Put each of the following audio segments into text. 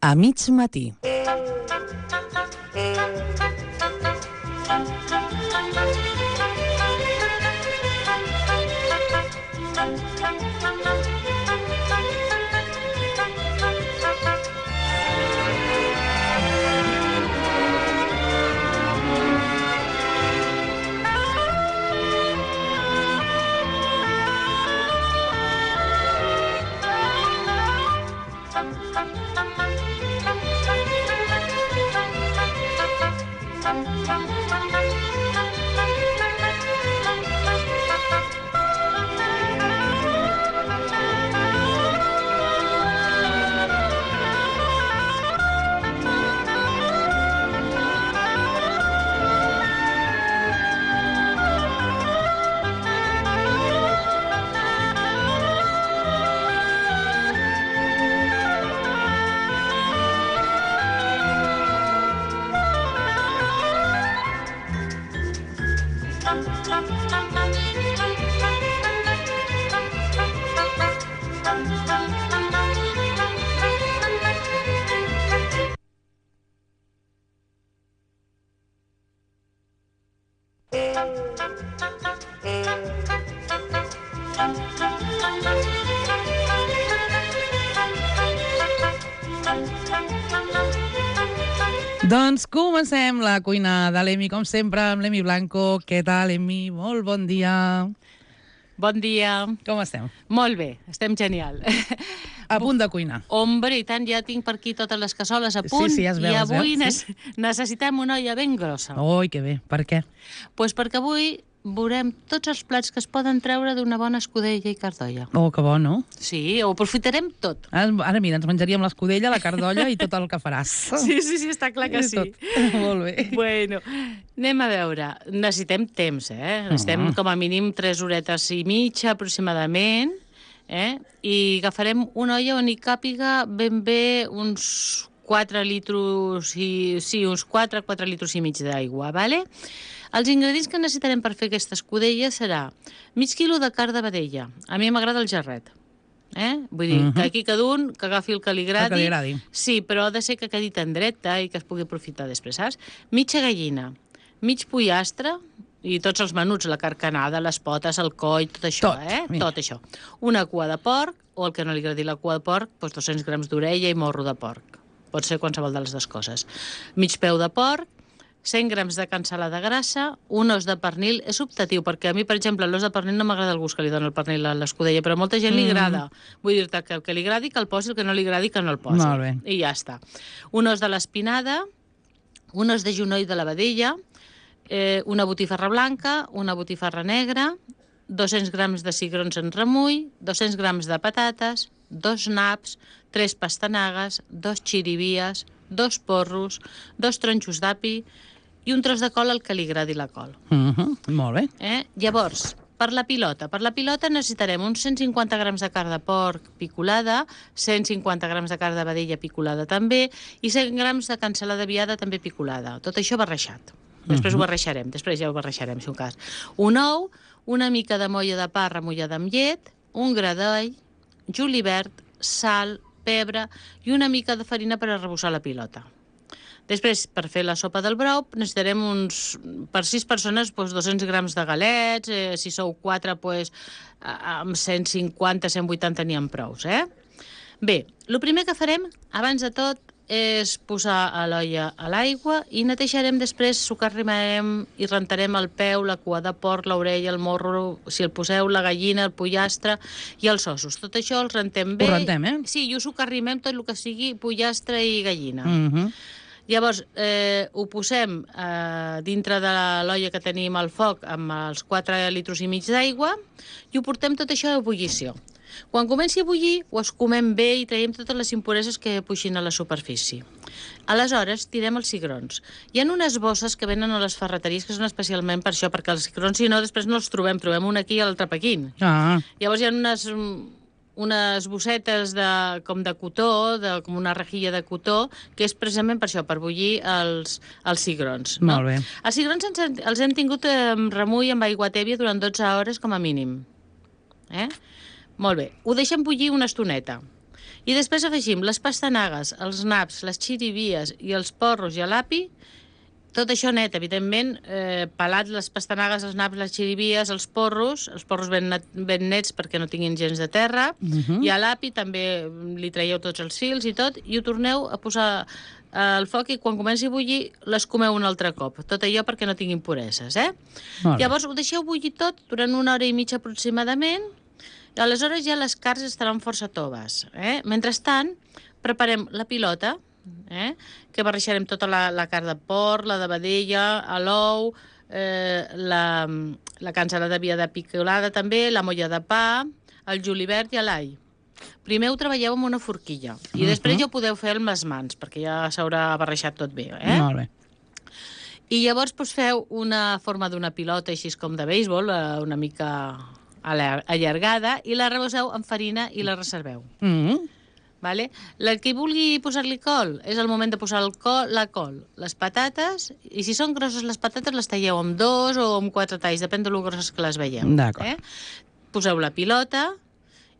A mig matí. Doncs comencem la cuina de l'Emi, com sempre, amb l'Emi Blanco. Què tal, Emi? Molt bon dia. Bon dia. Com estem? Molt bé, estem genial. A punt de cuinar. Hombre, i tant, ja tinc per aquí totes les cassoles a punt. Sí, ja es veu, I avui sí. necessitem una olla ben grossa. Ui, que bé. Per què? Pues perquè avui veurem tots els plats que es poden treure d'una bona escudella i cardolla. Oh, que bo, no? Sí, ho aprofitarem tot. Ara mira, ens menjaríem l'escudella, la cardolla i tot el que faràs. Sí, està clar que sí. Tot. Molt bé. Bueno, anem a veure. Necessitem temps, Necessitem com a mínim 3 horetes i mitja, aproximadament, I agafarem una olla on hi càpiga ben bé uns 4 litres uns 4 litres i mig d'aigua, vale? Els ingredients que necessitarem per fer aquesta escudella serà mig quilo de carn de vedella. A mi m'agrada el jarret. Vull dir, que aquí cada un que agafi el que li agradi. El que li agradi. Sí, però ha de ser que quedi tendreta i que es pugui aprofitar després, saps? Mitja gallina, mig pollastre i tots els menuts, la carcanada, les potes, el coll, tot això, Tot això. Una cua de porc, o el que no li agradi la cua de porc, doncs 200 grams d'orella i morro de porc. Pot ser qualsevol de les dues coses. Mig peu de porc, 100 grams de cansalada grassa, un os de pernil. És optatiu, perquè a mi, per exemple, l'os de pernil no m'agrada el gust que li dona el pernil a l'escudella, però a molta gent li agrada. Vull dir-te que el que li agradi que el posi, el que no li agradi que no el posi. Molt bé. I ja està. Un os de l'espinada, un os de genoll de la vedella, una botifarra blanca, una botifarra negra, 200 grams de cigrons en remull, 200 grams de patates, 2 naps, 3 pastanagues, 2 xirivies, 2 porros, 2 tronxos d'api i un tros de col al que li agradi la col. Molt bé. Llavors, per la pilota necessitarem uns 150 grams de carn de porc picolada, 150 grams de carn de vedella picolada també i 100 grams de cansalada viada també picolada. Tot això barrejat. Després ho barrejarem, després ja ho barrejarem, si un cas. Un ou, una mica de molla de pa remullada amb llet, un gra d'all, julivert, sal, pebre i una mica de farina per arrebossar la pilota. Després, per fer la sopa del brou, necessitarem per 6 persones, 200 grams de galets, si sou 4, amb 150-180 n'hi ha prous, Bé, el primer que farem, abans de tot, és posar a l'olla a l'aigua i netejarem després, socarrimarem i rentarem el peu, la cua de porc, l'orella, el morro, si el poseu, la gallina, el pollastre i els ossos. Tot això els rentem bé. Ho rentem, Sí, i ho socarrimem tot el que sigui pollastre i gallina. Llavors, ho posem dintre de l'olla que tenim al foc amb els 4 litres i mig d'aigua i ho portem tot això a ebullició. Quan comenci a bullir, ho escumem bé i traiem totes les impureses que puixin a la superfície. Aleshores, tirem els cigrons. Hi ha unes bosses que venen a les ferreteries que són especialment per això, perquè els cigrons, si no, després no els trobem un aquí i l'altre aquí. Llavors hi ha unes bossetes com de cotó, com una rejilla de cotó, que és precisament per això, per bullir els cigrons. Molt bé. Els cigrons els hem tingut amb remull amb aigua tèbia durant 12 hores com a mínim. Molt bé, ho deixem bullir una estoneta. I després afegim les pastanagues, els naps, les xirivies i els porros i l'api. Tot això net, evidentment, pelat les pastanagues, els naps, les xirivies, els porros ben nets perquè no tinguin gens de terra, i a l'api també li traieu tots els fils i tot, i ho torneu a posar al foc i quan comenci a bullir les comeu un altre cop. Tot allò perquè no tinguin pureses, Llavors ho deixeu bullir tot durant 1 hora i mitja aproximadament, i aleshores ja les carns estaran força toves. Mentrestant, preparem la pilota, que barrejarem tota la carn de porc, la de vedella, l'ou, la cansalada de viada picolada també, la molla de pa, el julivert i l'all. Primer ho treballeu amb una forquilla i després ja ho podeu fer amb les mans perquè ja s'haurà barrejat tot bé. Molt bé. I llavors feu una forma d'una pilota així com de béisbol, una mica allargada, i la reboseu amb farina i la reserveu. Vale? El que vulgui posar-li col, és el moment de posar la col, les patates, i si són grosses les patates les talleu amb 2 o amb 4 talls, depèn de lo grosses que les veieu. D'acord. Poseu la pilota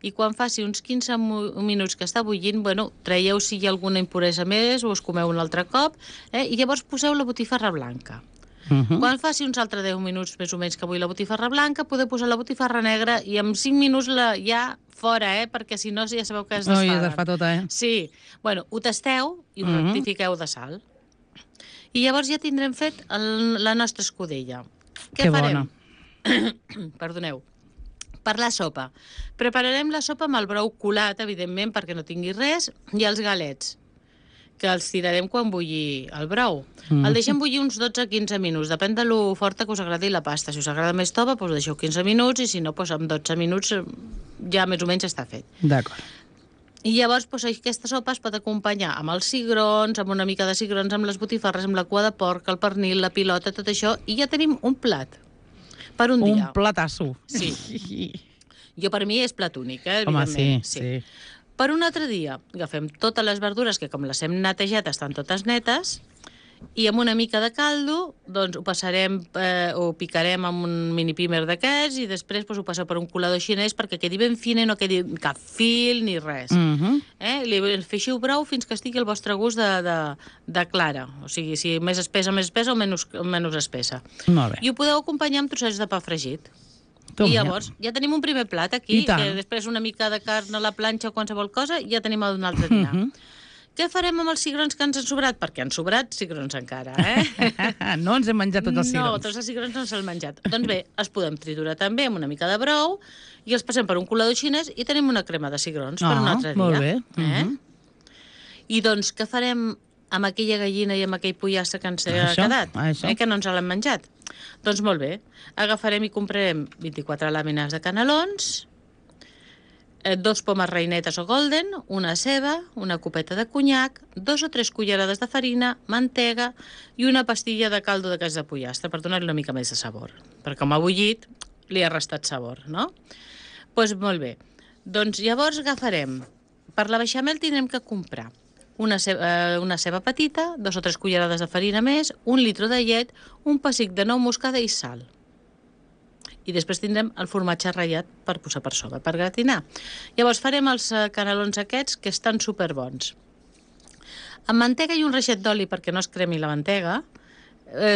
i quan faci uns 15 minuts que està bullint, traieu si hi ha alguna impuresa més o us comeu un altre cop, i llavors poseu la botifarra blanca. Quan faci uns altres 10 minuts més o menys que vull la botifarra blanca, podeu posar la botifarra negra i en 5 minuts ja fora, perquè si no ja sabeu que es desfaven. Es desfà tota, Sí. Ho tasteu i ho rectifiqueu de sal. I llavors ja tindrem fet la nostra escudella. Què farem? Perdoneu. Per la sopa. Prepararem la sopa amb el brou colat, evidentment, perquè no tingui res, i els galets, que els tirarem quan bulli el brou. El deixem bullir uns 12-15 minuts, depèn de lo forta que us agradi la pasta. Si us agrada més tova, deixeu 15 minuts, i si no, amb 12 minuts ja més o menys està fet. D'acord. I llavors aquesta sopa es pot acompanyar amb els cigrons, amb una mica de cigrons, amb les botifarres, amb la cua de porc, el pernil, la pilota, tot això, i ja tenim un plat per un dia. Un platasso. Sí. Per mi és plat únic, Home, evidentment. sí. Per un altre dia agafem totes les verdures, que com les hem netejat estan totes netes, i amb una mica de caldo ho passarem, ho picarem amb un mini pímer d'aquests i després ho passeu per un colador xinès perquè quedi ben fina i no quedi cap fil ni res. Li feixiu brou fins que estigui al vostre gust de clara. O sigui, si més espessa o menys espessa. Molt bé. I ho podeu acompanyar amb trossets de pa fregit. I llavors ja tenim un primer plat aquí, que després una mica de carn a la planxa o qualsevol cosa, i ja tenim un altre dinar. Què farem amb els cigrons que ens han sobrat? Perquè han sobrat cigrons encara, No ens hem menjat tots els cigrons. No, tots els cigrons no se'ls menjat. Doncs bé, els podem triturar també amb una mica de brou i els passem per un colador xinès i tenim una crema de cigrons per un altre dia. Molt bé. I doncs què farem amb aquella gallina i amb aquell pollastre que ens ha quedat? Que no ens l'hem menjat. Doncs molt bé, agafarem i comprarem 24 làmines de canelons, 2 pomes reinetes o golden, una ceba, una copeta de conyac, 2 o 3 cullerades de farina, mantega i una pastilla de caldo de cas de pollastre per donar-li una mica més de sabor. Perquè com ha bullit, li ha restat sabor, no? Doncs molt bé. Doncs llavors agafarem. Per la beixamel tindrem que comprar una ceba petita, 2 o 3 cullerades de farina més, 1 litre de llet, un pessic de nou moscada i sal. I després tindrem el formatge ratllat per posar per sobre, per gratinar. Llavors farem els canelons aquests, que estan superbons. Amb mantega i un reixet d'oli perquè no es cremi la mantega,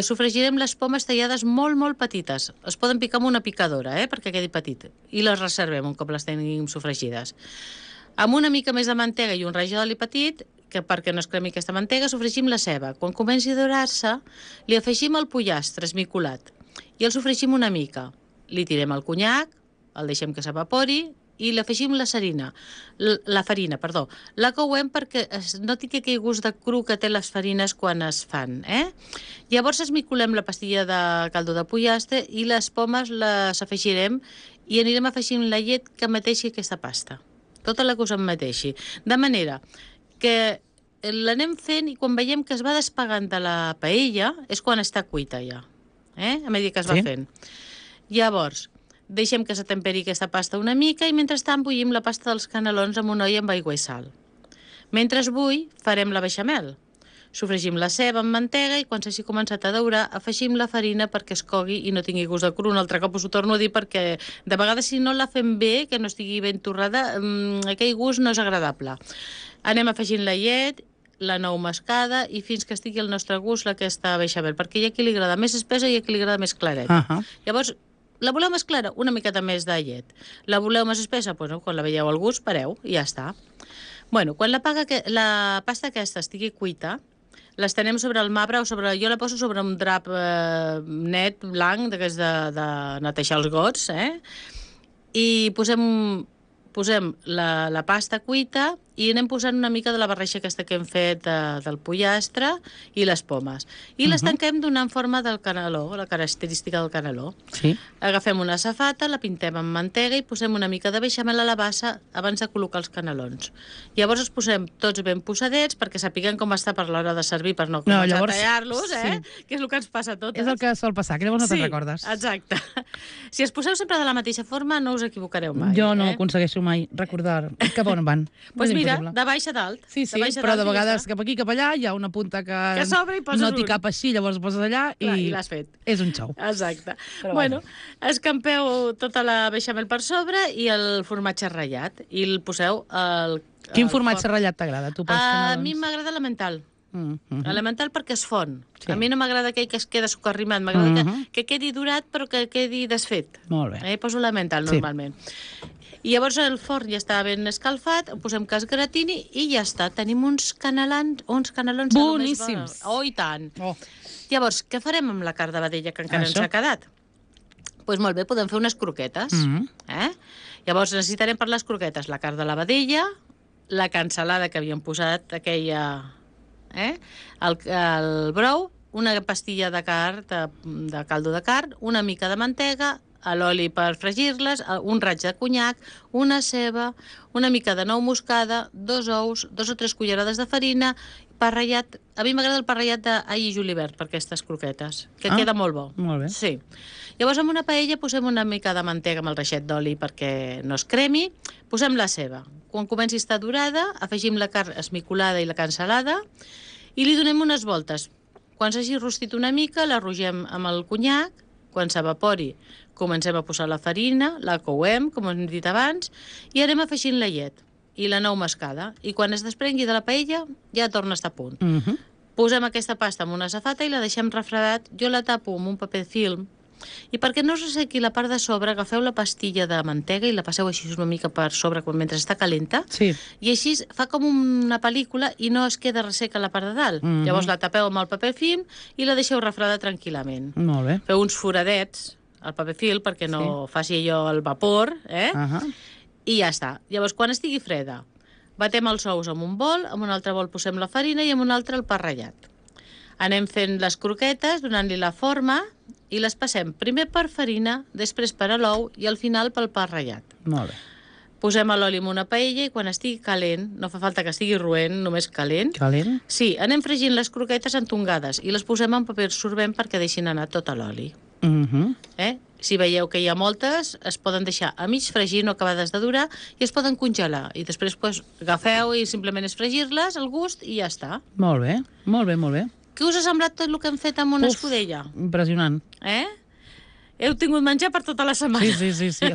sofregirem les pomes tallades molt, molt petites. Es poden picar amb una picadora, perquè quedi petit. I les reservem un cop les tenim sofregides. Amb una mica més de mantega i un raig d'oli petit, que perquè no es cremi aquesta mantega, sofregim la ceba. Quan comenci a dorar-se, li afegim el pollastre esmicolat i el sofregim una mica. Li tirem el conyac, el deixem que s'evapori i li afegim la farina. La couem perquè no tingui aquell gust de cru que té les farines quan es fan. Llavors esmicolem la pastilla de caldo de pollastre i les pomes les afegirem i anirem afegint la llet que emeteixi aquesta pasta. Tota la que us emeteixi. De manera que l'anem fent i quan veiem que es va despegant de la paella és quan està cuita ja. A mesura que es va fent. Llavors, deixem que s'atemperi aquesta pasta una mica i mentrestant bullim la pasta dels canelons amb una olla amb aigua i sal. Mentre es bull, farem la beixamel. Sofregim la ceba amb mantega i quan s'hagi començat a daurar afegim la farina perquè es cogui i no tingui gust de cru. Un altre cop us ho torno a dir perquè de vegades si no la fem bé, que no estigui ben torrada, aquell gust no és agradable. Anem afegint la llet, la nou mascada i fins que estigui al nostre gust aquesta beixamel, perquè hi ha qui li agrada més espessa i hi ha qui li agrada més clareta. Llavors, la voleu més clara? Una miqueta més de llet. La voleu més espessa? Bueno, quan la veieu al gust, pareu i ja està. Bueno, quan la pasta aquesta estigui cuita, l'estenem sobre el marbre o jo la poso sobre un drap net, blanc, d'aquests de netejar els gots, i posem la pasta cuita i anem posant una mica de la barreixa aquesta que hem fet del pollastre i les pomes. I les tanquem donant forma del caneló, la característica del caneló. Sí. Agafem una safata, la pintem amb mantega i posem una mica de beixamel a la bassa abans de col·locar els canelons. Llavors els posem tots ben posadets perquè sapiguem com està per l'hora de servir per no començar a tallar-los, que és el que ens passa a totes. És el que sol passar, que llavors no te'n recordes. Exacte. Si els poseu sempre de la mateixa forma no us equivocareu mai. Jo no aconsegueixo mai recordar cap on van. Doncs mira, de baix a dalt. Sí, però de vegades cap aquí, cap allà, hi ha una punta que no t'hi cap així, llavors poses allà i l'has fet. És un xou. Exacte. Bueno, escampeu tota la beixamel per sobre i el formatge ratllat i el poseu al... Quin formatge ratllat t'agrada, tu, pels canelons? A mi m'agrada l'emmental. Elemental perquè es fon. A mi no m'agrada aquell que es queda sucarrimat, m'agrada que quedi durat però que quedi desfet. Molt bé. Poso l'emmental normalment. I llavors el forn ja està ben escalfat, posem que es gratini i ja està. Tenim uns canelons boníssims. Oh, i tant. Llavors, què farem amb la carn de vedella que encara ens ha quedat? Doncs molt bé, podem fer unes croquetes. Llavors necessitarem per les croquetes la carn de la vedella, la cansalada que havíem posat, aquella... el brou, una pastilla de carn, de caldo de carn, una mica de mantega, l'oli per fregir-les, un raig de conyac, una ceba, una mica de nou moscada, 2 ous, 2 o 3 cullerades de farina, pa ratllat. A mi m'agrada el pa ratllat d'all i julivert per aquestes croquetes, que queda molt bo. Molt bé. Sí. Llavors, en una paella posem una mica de mantega amb el reixet d'oli perquè no es cremi, posem la ceba. Quan comenci a estar dorada, afegim la carn esmicolada i la cansalada i li donem unes voltes. Quan s'hagi rostit una mica, la rogem amb el conyac, quan s'evapori comencem a posar la farina, la couem, com hem dit abans, i anem afegint la llet i la nou mascada. I quan es desprengui de la paella ja torna a estar a punt. Posem aquesta pasta en una safata i la deixem refredat. Jo la tapo amb un paper film i perquè no us ressequi la part de sobre, agafeu la pastilla de mantega i la passeu així una mica per sobre mentre està calenta i així fa com una pel·lícula i no es queda resseca la part de dalt. Llavors la tapeu amb el paper film i la deixeu refredar tranquil·lament. Molt bé. Feu uns foradets al paper film perquè no faci allò el vapor, i ja està. Llavors, quan estigui freda, batem els ous en un bol, en un altre bol posem la farina i en un altre el pa ratllat. Anem fent les croquetes, donant-li la forma, i les passem primer per farina, després per a l'ou i al final pel pa ratllat. Molt bé. Posem l'oli en una paella i quan estigui calent, no fa falta que estigui roent, només calent. Calent? Sí, anem fregint les croquetes entongades i les posem en paper sorbent perquè deixin anar tot l'oli. Si veieu que hi ha moltes, es poden deixar a mig fregir, no acabades de durar, i es poden congelar. I després agafeu i simplement és fregir-les al gust i ja està. Molt bé, molt bé, molt bé. Què us ha semblat tot el que hem fet amb una escudella? Impressionant. Heu tingut menjar per tota la setmana. Sí.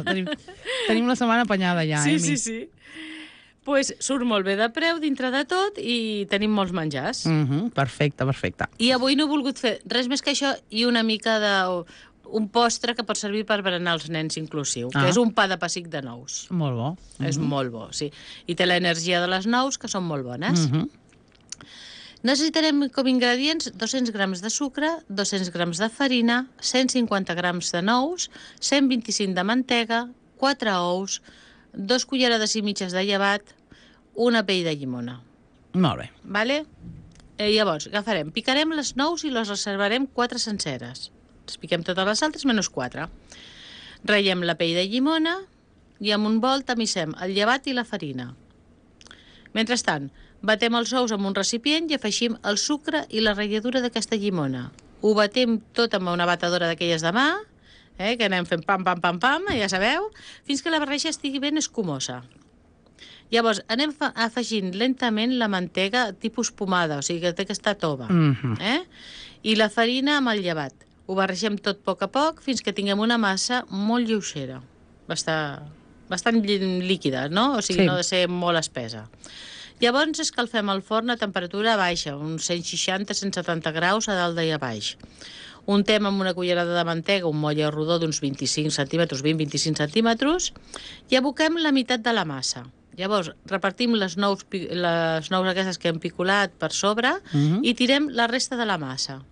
Tenim la setmana apanyada ja, Sí. Doncs surt molt bé de preu dintre de tot i tenim molts menjars. Perfecte. I avui no he volgut fer res més que això i una mica un postre que pot servir per berenar els nens inclusiu, que és un pa de pessic de nous. Molt bo. És molt bo, sí. I té l'energia de les nous, que són molt bones. Necessitarem com ingredients 200 grams de sucre, 200 grams de farina, 150 grams de nous, 125 de mantega, 4 ous, 2 cullerades i mitges de llevat, una pell de llimona. Molt bé. Vale? Llavors, picarem les nous i les reservarem 4 senceres. Les piquem totes les altres, menys 4. Ratllem la pell de llimona i amb un bol tamissem el llevat i la farina. Mentrestant, batem els ous en un recipient i afegim el sucre i la ratlladura d'aquesta llimona. Ho batem tot amb una batedora d'aquelles de mà, que anem fent pam, ja sabeu, fins que la barreja estigui ben escumosa. Llavors, anem afegint lentament la mantega tipus pomada, o sigui que té que estar tova. I la farina amb el llevat. Ho barregem tot a poc fins que tinguem una massa molt lleugera. Bastant líquida, no? O sigui, no ha de ser molt espessa. Llavors escalfem el forn a temperatura baixa, uns 160-170 graus a dalt i a baix. Untem amb una cullerada de mantega un motlle rodó d'uns 25 centímetres, 20-25 centímetres, i aboquem la meitat de la massa. Llavors, repartim les nous aquestes que hem picolat per sobre i tirem la resta de la massa.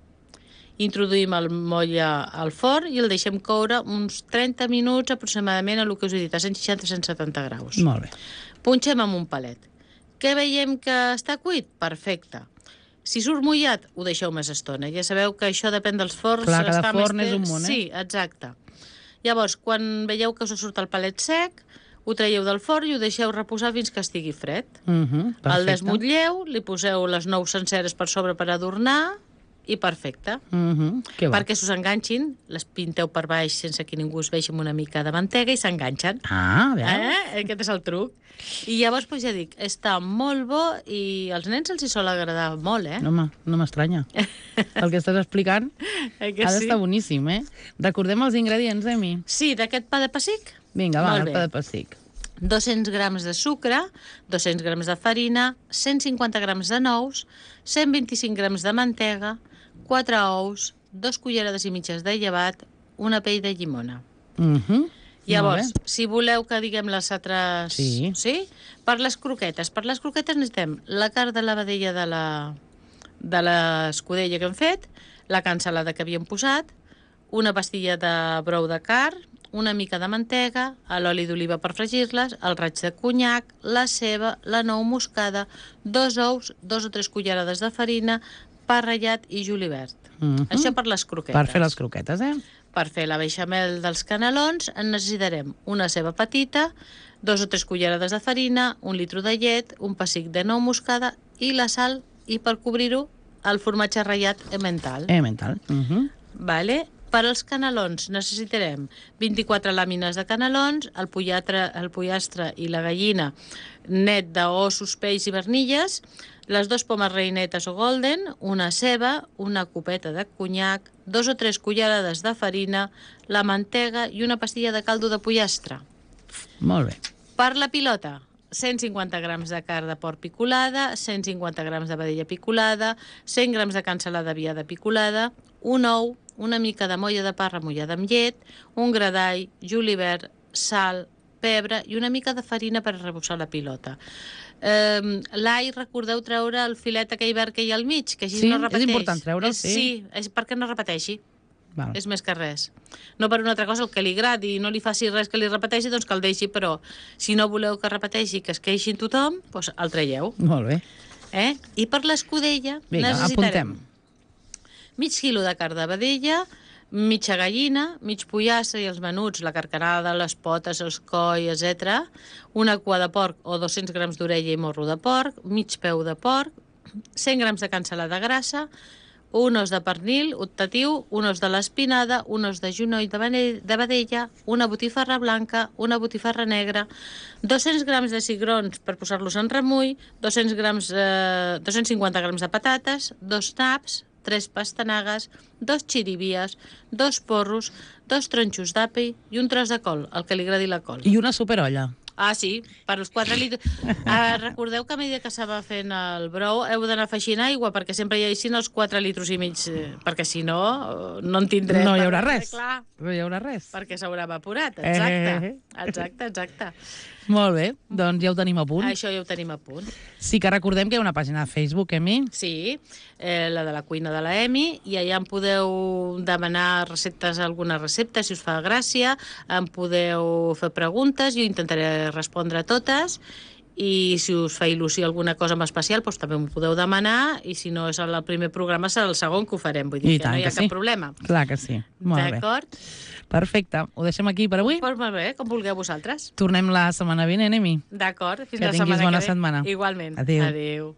Introduïm el motlle al forn i el deixem coure uns 30 minuts aproximadament a el que us he dit, a 160-170 graus. Molt bé. Punxem amb un palet. Què veiem que està cuit? Perfecte. Si surt mullat, ho deixeu més estona. Ja sabeu que això depèn dels forns. Clar, cada forn és un món, Sí, exacte. Llavors, quan veieu que us surt el palet sec, ho traieu del forn i ho deixeu reposar fins que estigui fred. El desmotlleu, li poseu les nous senceres per sobre per adornar i perfecte. Perquè s'us enganxin, les pinteu per baix sense que ningú es vegi amb una mica de mantega i s'enganxen. Aquest és el truc. I llavors, ja dic, està molt bo i als nens els hi sol agradar molt, Home, no m'estranya. El que estàs explicant ha d'estar boníssim, Recordem els ingredients, Emi? Sí, d'aquest pa de pessic? Vinga, va, el pa de pessic. 200 grams de sucre, 200 grams de farina, 150 grams de nous, 125 grams de mantega, 4 ous, 2 cullerades i mitges de llevat, una pell de llimona. Llavors, si voleu que diguem les altres... Sí? Per les croquetes. Per les croquetes necessitem la carn de la vedella de l'escudella que hem fet, la cansalada que havíem posat, una pastilla de brou de carn, una mica de mantega, l'oli d'oliva per fregir-les, el raig de conyac, la ceba, la nou moscada, 2 ous, 2 o 3 cullerades de farina, pa ratllat i julivert. Això per les croquetes. Per fer les croquetes, Per fer la beixamel dels canelons en necessitarem una ceba petita, 2 o 3 cullerades de farina, 1 litre de llet, un pessic de nou moscada i la sal, i per cobrir-ho, el formatge ratllat emmental. Vale? Per als canelons necessitarem 24 làmines de canelons, el pollastre i la gallina net d'ossos, pells i vernilles, les 2 pomes reinetes o golden, una ceba, una copeta de conyac, 2 o 3 cullerades de farina, la mantega i una pastilla de caldo de pollastre. Molt bé. Per la pilota, 150 grams de carn de porc picolada, 150 grams de vedella picolada, 100 grams de cansalada viada picolada, un ou, una mica de molla de pa remullada amb llet, un gra d'all, julivert, sal, pebre i una mica de farina per arrebossar la pilota. L'all, recordeu treure el filet aquell verd que hi ha al mig, que així no repeteix. És important treure'l, Sí, és perquè no repeteixi. És més que res. No per una altra cosa, el que li agradi i no li faci res que li repeteixi, doncs que el deixi, però si no voleu que repeteixi, que es queixi tothom, doncs el traieu. Molt bé. I per l'escudella necessitarem mig quilo de carn de vedella, mitja gallina, mig pollastre i els menuts, la carcarada, les potes, els coll, etc. Una cua de porc o 200 grams d'orella i morro de porc, mig peu de porc, 100 grams de cansalada grassa, un os de pernil optatiu, un os de l'espinada, un os de genoll de vedella, una botifarra blanca, una botifarra negra, 200 grams de cigrons per posar-los en remull, 250 grams de patates, 2 naps, 3 pastanagues, 2 xirivies, 2 porros, 2 tronxos d'api i un tros de col, el que li agradi la col. I una superolla. Ah, sí, per als 4 litres. Recordeu que a mesura que se va fent el brou heu d'anar afegint aigua perquè sempre hi haguessin els 4 litres i mig, perquè si no, no en tindrem. No hi haurà res. No hi haurà res. Perquè s'haurà evaporat, exacte. Molt bé, doncs ja ho tenim a punt. Això ja ho tenim a punt. Sí que recordem que hi ha una pàgina de Facebook, Emi. Sí, la de la cuina de la Emi, i allà em podeu demanar alguna recepta, si us fa gràcia, em podeu fer preguntes, jo intentaré respondre a totes, i si us fa il·lusió alguna cosa en especial, doncs també m'ho podeu demanar, i si no és el primer programa, serà el segon que ho farem, vull dir que no hi ha cap problema. Clar que sí, molt bé. D'acord? Perfecte, ho deixem aquí per avui? Doncs molt bé, com vulgueu vosaltres. Tornem la setmana vinent, Emi. D'acord, fins la setmana que ve. Que tinguis bona setmana. Igualment. Adéu. Adéu.